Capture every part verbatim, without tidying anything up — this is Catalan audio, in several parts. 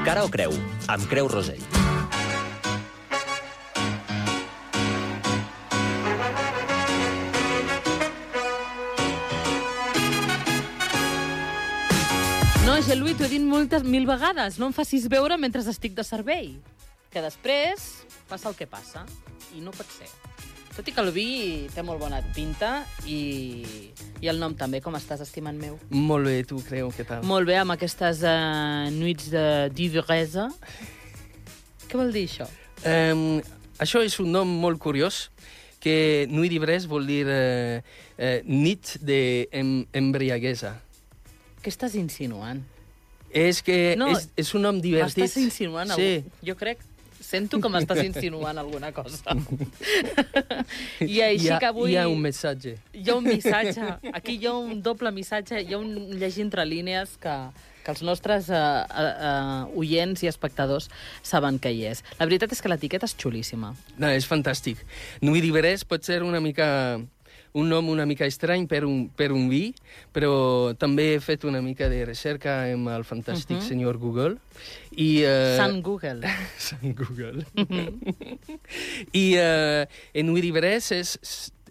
Cara o creu, amb Creu Rosell. No, Gelui, t'ho he dit moltes mil vegades. No em facis veure mentre estic de servei. Que després passa el que passa. I no pot ser. Tot i que el vi té molt bona pinta i, i el nom també. Com estàs, estimant meu? Molt bé, tu, Creu, què tal? Molt bé, amb aquestes uh, nuits de d'ivresa. Què vol dir això? Um, això és un nom molt curiós, que nuit d'ivresse vol dir uh, uh, nit d'embriaguesa. Què estàs insinuant? És que no, és, és un nom divertit. M'estàs insinuant? Sí. Algú? Jo crec... Sento que m'estàs insinuant alguna cosa. I així hi ha, que avui... Hi ha un missatge. Hi ha un missatge. Aquí hi ha un doble missatge. Hi ha un llegir entre línies que, que els nostres uh, uh, uh, oients i espectadors saben què hi és. La veritat és que l'etiqueta és xulíssima. No, és fantàstic. Nuit d'ivresse pot ser una mica... un nom una mica estrany per un, per un vi, però també he fet una mica de recerca amb el fantàstic uh-huh. senyor Google. I, uh... Sant Google. Sant Google. Uh-huh. I uh, en Nuit d'ivresse és,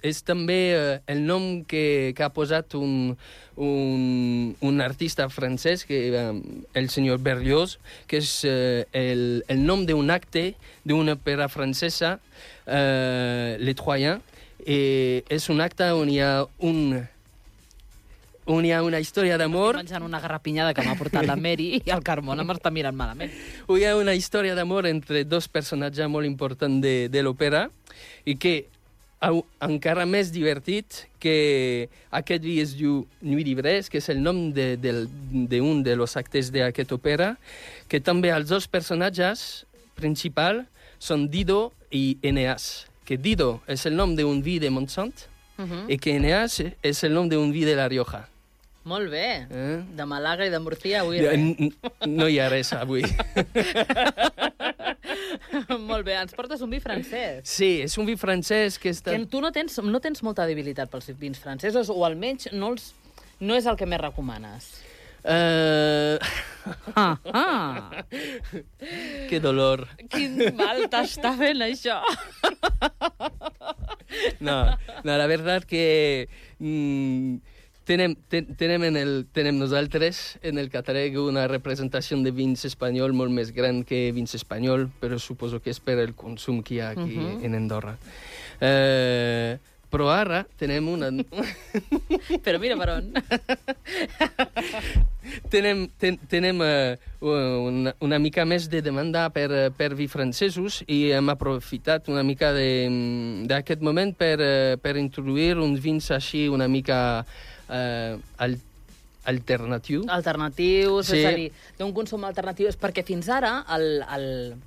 és també uh, el nom que, que ha posat un, un, un artista francès, que, um, el senyor Berlioz, que és uh, el, el nom d'un acte d'una òpera francesa, uh, Les Troyens. Eh, és un acte on hi ha un on hi ha una història d'amor. Estic menjant una garrapinyada que m'ha portat la Mary i el Carmona m'està mirant malament. On hi ha una història d'amor entre dos personatges molt importants de, de l'òpera i que au, encara més divertit que aquest vi es diu Nuit d'ivresse, que és el nom d'un de, de, de, de los actes d'aquesta òpera, que també els dos personatges principals són Dido i Eneas. Que Dido és el nom d'un vi de Montsant uh-huh. i que Eneas és el nom d'un vi de La Rioja. Molt bé. Eh? De Malaga i de Murcia avui res. No hi ha res avui. Molt bé. Ens portes un vi francès. Sí, és un vi francès que està... Que tu no tens, no tens molta debilitat pels vins francesos, o almenys no, els, no és el que més recomanes. Uh... Ah, ah. Que dolor. Quin mal t'està fent això. No, no, la veritat que mm, tenem, ten, tenem, en el, tenem nosaltres en el catàleg una representació de vins espanyol molt més gran que vins espanyol, però suposo que és per el consum que hi ha aquí uh-huh. en Andorra. Uh, Però ara tenem una... Però mira per on. tenem ten, tenem uh, una, una mica més de demanda per, per vi francesos i hem aprofitat una mica d'aquest moment per, uh, per introduir uns vins així una mica uh, al, alternatiu. Alternatius, sí. És a dir, d'un consum alternatiu. És perquè fins ara el... el...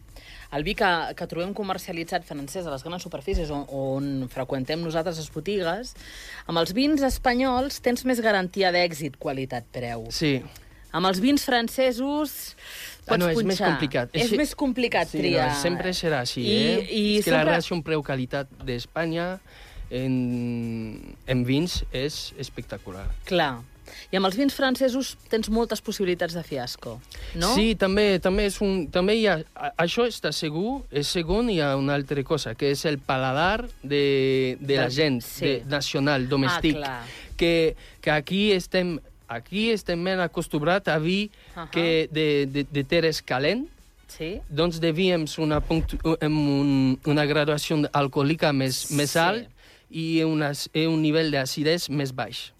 El vi que, que trobem comercialitzat francès a les grans superfícies on, on freqüentem nosaltres les botigues, amb els vins espanyols tens més garantia d'èxit, qualitat, preu. Sí. Amb els vins francesos pots ah, no, és punxar. més complicat. És, és més complicat sí, triar. No, sempre serà així, I, eh? I és que sempre... la relació preu-qualitat d'Espanya en, en vins és espectacular. Clar. I amb els vins francesos tens moltes possibilitats de fiasco, no? Sí, també, també, és un, també hi ha... Això està segur, és segon, hi ha una altra cosa, que és el paladar de, de la gent, sí. de, nacional, domèstic. Ah, que, que aquí estem, aquí estem ben acostumbrats a vi uh-huh. que de, de, de terres calent, sí. doncs de vi amb una, amb un, una graduació alcohòlica més, més sí. alt i una, un nivell d'acidesa més baix.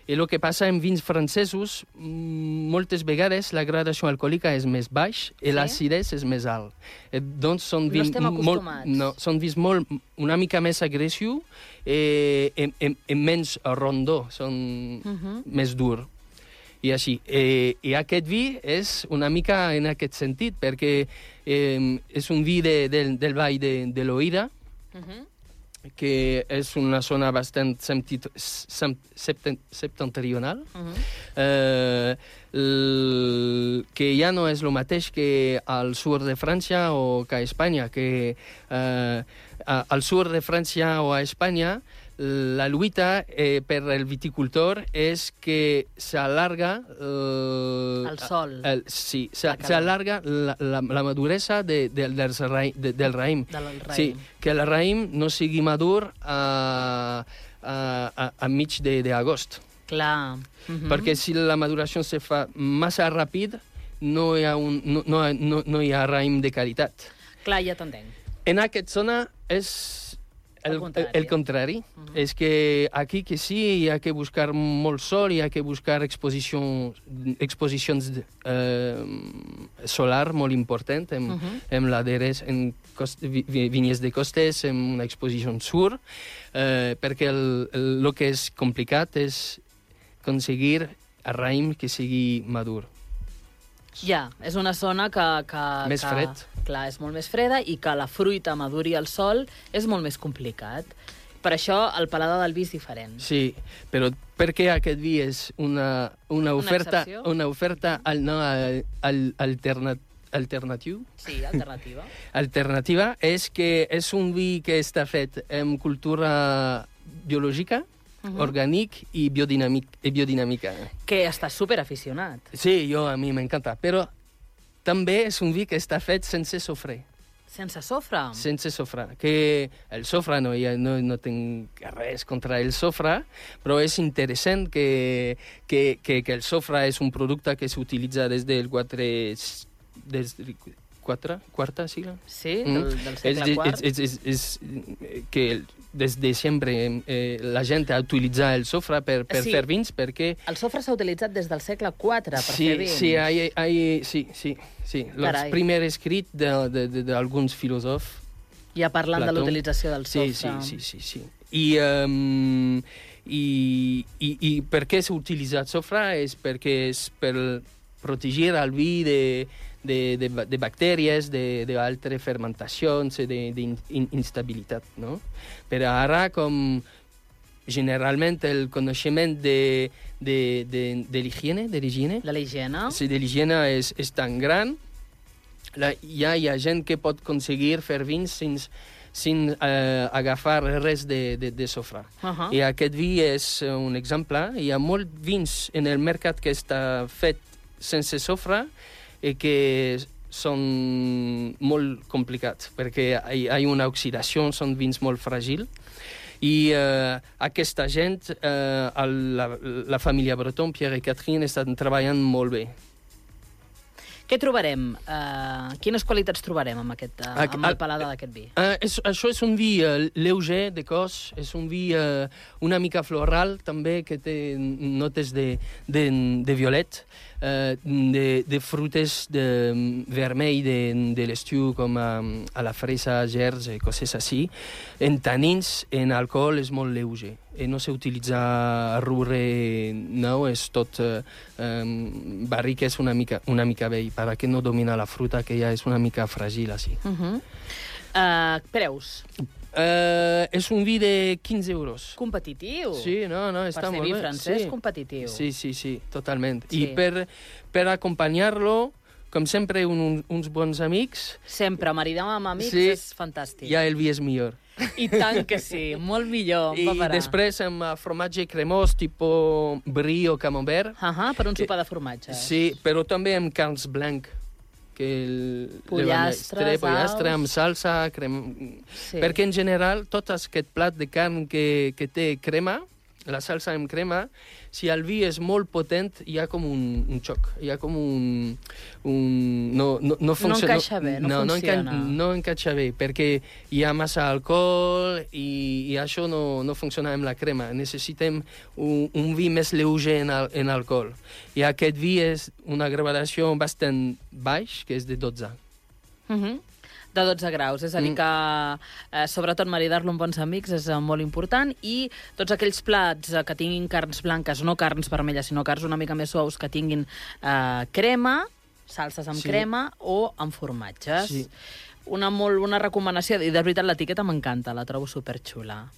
I el que passa en vins francesos, moltes vegades la gradació alcohòlica és més baix i sí? l'acidesa és més alt. Eh, doncs són vins no estem acostumats. Molt, no, són vins molt, una mica més agressius eh, i, i, i menys rondó, són uh-huh. més dur. I així. Eh, I aquest vi és una mica en aquest sentit, perquè eh, és un vi de, de, del vall de, de l'Oïda, uh-huh. que és una zona bastant septentrional, uh-huh. eh, l... que ja no és el mateix que al sud de França o que a Espanya, que eh, al sud de França o a Espanya la lluita eh, per al viticultor és que s'allarga... Eh, el sol. El, sí, s'allarga la, la, la maduresa de, de, del, raïm, de, del raïm. Del raïm. Sí, que el raïm no sigui madur a, a, a, a mig d'agost. Clar. Uh-huh. Perquè si la maduració se fa massa ràpid, no hi ha, un, no, no, no, no hi ha raïm de qualitat. Clar, ja t'entenc. En aquesta zona és... El, el contrari. El, el contrari. Uh-huh. És que aquí que sí, hi ha que buscar molt sol, hi ha que buscar exposició, exposicions eh, solar molt important, amb, uh-huh. amb laderes, en cost, vi, vinyes de costes, amb una exposició sur, eh, perquè el, el, el que és complicat és aconseguir a raïm que sigui madur. Ja, és una zona que... que més que, fred. Clar, és molt més freda i que la fruita maduri al sol és molt més complicat. Per això el paladar del vi és diferent. Sí, però per què aquest vi és una, una oferta, una, una oferta al, no, al, al, alterna, alternatiu? Sí, alternativa. Alternativa és que és un vi que està fet amb cultura biològica, Uh-huh. orgànic i, biodinàmic, i biodinàmica. Que estàs superaficionat. Sí, jo, a mi m'encanta, però també és un vi que està fet sense sofre. Sense sofre? Sense sofre. Que el sofre, no, ja no, no tinc res contra el sofre, però és interessant que, que, que, que el sofre és un producte que s'utilitza des del quatre... Des, quatre, quarta sigla? Sí, del, del segle quart. És, és, és, és que des de sempre eh, la gent ha utilitzat el sofre per, per sí. fer vins, perquè... El sofre s'ha utilitzat des del segle quatre per sí, fer vins. Sí, hay, hay, sí, sí, sí. El primer escrit d'alguns filòsofs. Ja parlant Plató. De l'utilització del sofre. Sí, sí, sí, sí. I, um, i, i, i per què s'ha utilitzat sofre? És perquè és per protegir el vi de... De, de, de bactèries, d'altres fermentacions, d'instabilitat, no? Però ara, com generalment el coneixement de, de, de, de l'higiene, de l'higiene... De l'higiene? Sí, de l'higiene és, és tan gran, la, ja hi ha gent que pot aconseguir fer vins sense, sense eh, agafar res de, de, de sofre. Uh-huh. I aquest vi és un exemple. Hi ha molts vins en el mercat que està fet sense sofre, i que són molt complicats, perquè hi ha una oxidació, són vins molt fràgils, i eh, aquesta gent, eh, la, la família Breton, Pierre i Catherine, estan treballant molt bé. Què trobarem? Uh, quines qualitats trobarem amb, aquest, uh, amb el paladar d'aquest vi? Uh, és, això és un vi uh, lleuger de cos, és un vi uh, una mica floral, també, que té notes de, de, de violet, uh, de, de frutes de vermell de, de l'estiu, com a, a la fresa, gerds i coses així. En tanins, en alcohol, és molt lleuger. I no s'utilitza arrure, no, és tot uh, um, barric, és una mica, una mica vell, perquè no domina la fruta, que ja és una mica fràgil, així. Uh-huh. uh, preus? Uh, és un vi de quinze euros. Competitiu? Sí, no, no, està molt bé. Per ser vi francès, sí. competitiu. Sí, sí, sí, totalment. Sí. I per, per acompanyar-lo, com sempre, un, uns bons amics... Sempre, maridar amb amics sí, és fantàstic. Ja el vi és millor. I tant que sí, molt millor. I després amb formatge cremós, tipus brie o camembert. Uh -huh, per un que, sopar de formatge. Sí, però també amb carns blanc. Que el, pollastres, pollastre amb salsa, crema... Sí. Perquè en general tot aquest plat de carn que, que té crema, la salsa amb crema, si el vi és molt potent, hi ha com un, un xoc, hi ha com un... un no, no, no, funciona, no encaixa bé, no, no funciona. No, no encaixa bé, perquè hi ha massa alcohol i, i això no, no funciona amb la crema. Necessitem un, un vi més lleuger en, al, en alcohol. I aquest vi és una gradació bastant baix, que és de dotze. Mhm. Uh -huh. De dotze graus, és a dir que eh, sobretot maridar-lo amb bons amics és eh, molt important, i tots aquells plats eh, que tinguin carns blanques, no carns vermelles, sinó carns una mica més suaus, que tinguin eh, crema, salses amb sí. crema o amb formatges. Sí. Una molt bona recomanació, i de veritat l'etiqueta m'encanta, la trobo superxula.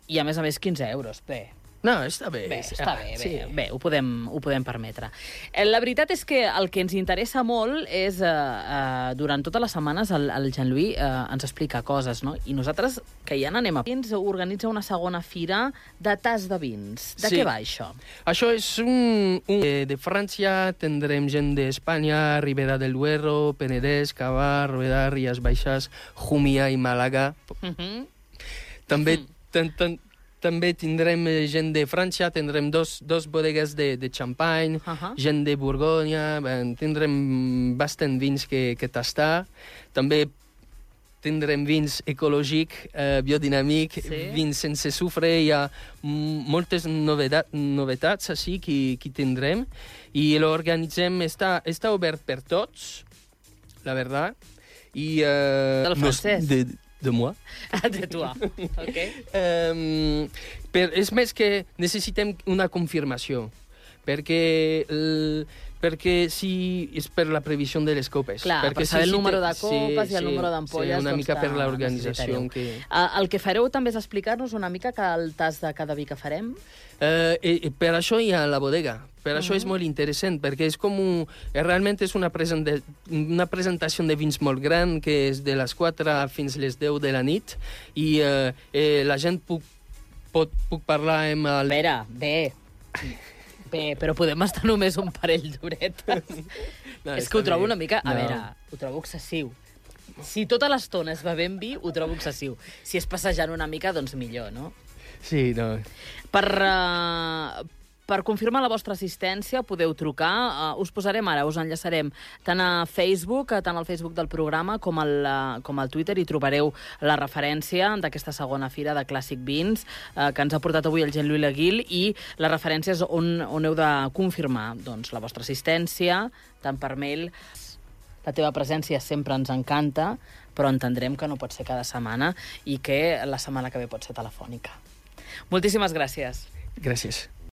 I a més a més quinze euros, bé. No, està bé. Bé, està bé, bé, Sí. bé ho, podem, ho podem permetre. Eh, La veritat és que el que ens interessa molt és, eh, eh, durant totes les setmanes, el, el Jean-Louis eh, ens explica coses, no? I nosaltres, que ja n'anem a... Ens organitza una segona fira de tas de vins. De Sí. què va, això? Això és un, un de, de França, tindrem gent d'Espanya, Ribera del Duero, Penedès, Cavà, Rueda, Rías Baixes, Jumia i Màlaga. Uh -huh. També, Mhm. ten, ten, també tindrem eh, gent de França, tindrem dos, dos bodegues de, de Champagne, Uh -huh. gent de Borgonya, ben, tindrem bastant vins que, que tastar. També tindrem vins ecològic, eh, biodinàmic, Sí. vins sense sufre. Hi ha mm, moltes novedat, novetats així que, que tindrem. I l'organitzem, està, està obert per tots, la veritat. I, eh, Del francès. De, de moi. De tu, ok? Um, per, és més que necessitem una confirmació, perquè, el, perquè si és per la previsió de les copes. Clar, perquè per saber si, el si número te- de copes i el número d'ampolles, Sí, una doncs, mica per que l'organització. necessitareu. Que... Uh, el que fareu també és explicar-nos una mica que el tas de cada vi que farem. Uh, i, i per això hi ha la bodega. Per això Mhm. és molt interessant, perquè és com un, eh, realment és una, present de, una presentació de vins molt gran, que és de les quatre fins les deu de la nit, i eh, eh, la gent puc, pot, puc parlar amb A el... veure, bé, bé, però podem estar només un parell d'horetes. No, És està que ho trobo bé. una mica... A No. veure, ho trobo excessiu. Si tota l'estona es bevent vi, ho trobo excessiu. Si és passejant una mica, doncs millor, no? Sí, no. Per, uh, per confirmar la vostra assistència podeu trucar. Uh, us posarem ara, us enllaçarem tant a Facebook, tant al Facebook del programa, com al, uh, com al Twitter, i trobareu la referència d'aquesta segona fira de Clàssic Vins uh, que ens ha portat avui el Jean-Louis Laguil, i les referències on, on heu de confirmar doncs, la vostra assistència, tant per mail. La teva presència sempre ens encanta, però entendrem que no pot ser cada setmana i que la setmana que ve pot ser telefònica. Moltíssimes gràcies. Gràcies.